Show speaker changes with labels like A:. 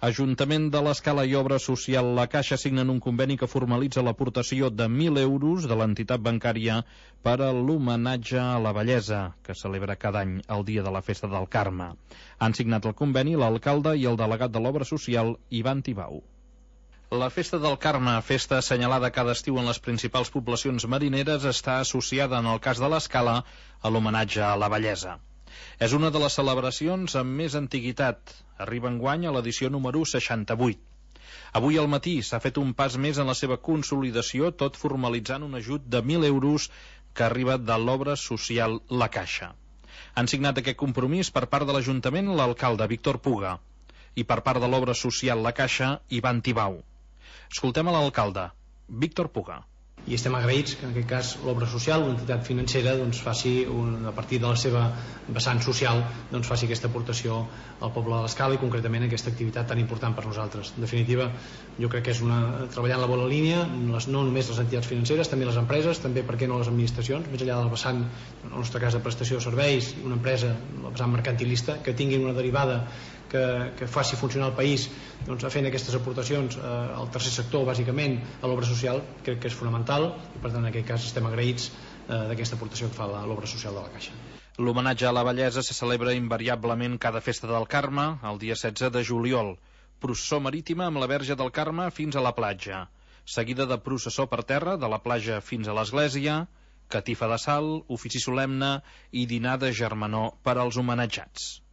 A: Ajuntament de l'Escala i Obra Social La Caixa signen un conveni que formalitza l'aportació de 1.000 euros de l'entitat bancària per a l'homenatge a la bellesa, que celebra cada any el dia de la Festa del Carme. Han signat el conveni l'alcalde i el delegat de l'Obra Social, Ivan Tibau. La Festa del Carme, festa assenyalada cada estiu en les principals poblacions marineres, està associada, en el cas de l'Escala, a l'homenatge a la bellesa. És una de les celebracions amb més antiguitat. Arriba enguany a l'edició número 68. Avui al matí s'ha fet un pas més en la seva consolidació, tot formalitzant un ajut de 1.000 euros que arriba de l'Obra Social La Caixa. Han signat aquest compromís per part de l'Ajuntament l'alcalde Víctor Puga i per part de l'Obra Social La Caixa, Ivan Tibau. Escoltem a l'alcalde, Víctor Puga.
B: I estem agraïts que en aquest cas l'obra social, l'entitat financera, faci a partir de la seva vessant social, faci aquesta aportació al poble de l'Escala i concretament aquesta activitat tan important per nosaltres. En definitiva, jo crec que és treballar en la bona línia, no només les entitats financeres, també les empreses, també per què no les administracions, més enllà del vessant, en el nostre cas de prestació de serveis, una empresa, el vessant mercantilista, que tingui una derivada que faci funcionar el país fent aquestes aportacions al tercer sector, bàsicament a l'obra social, crec que és fonamental i per tant en aquest cas estem agraïts d'aquesta aportació que fa l'obra social de la Caixa.
A: L'homenatge a la bellesa se celebra invariablement cada Festa del Carme el dia 16 de juliol. Processó marítima amb la Verge del Carme fins a la platja, seguida de processó per terra de la platja fins a l'església, catifa de sal, ofici solemne i dinar de germanor per als homenatjats.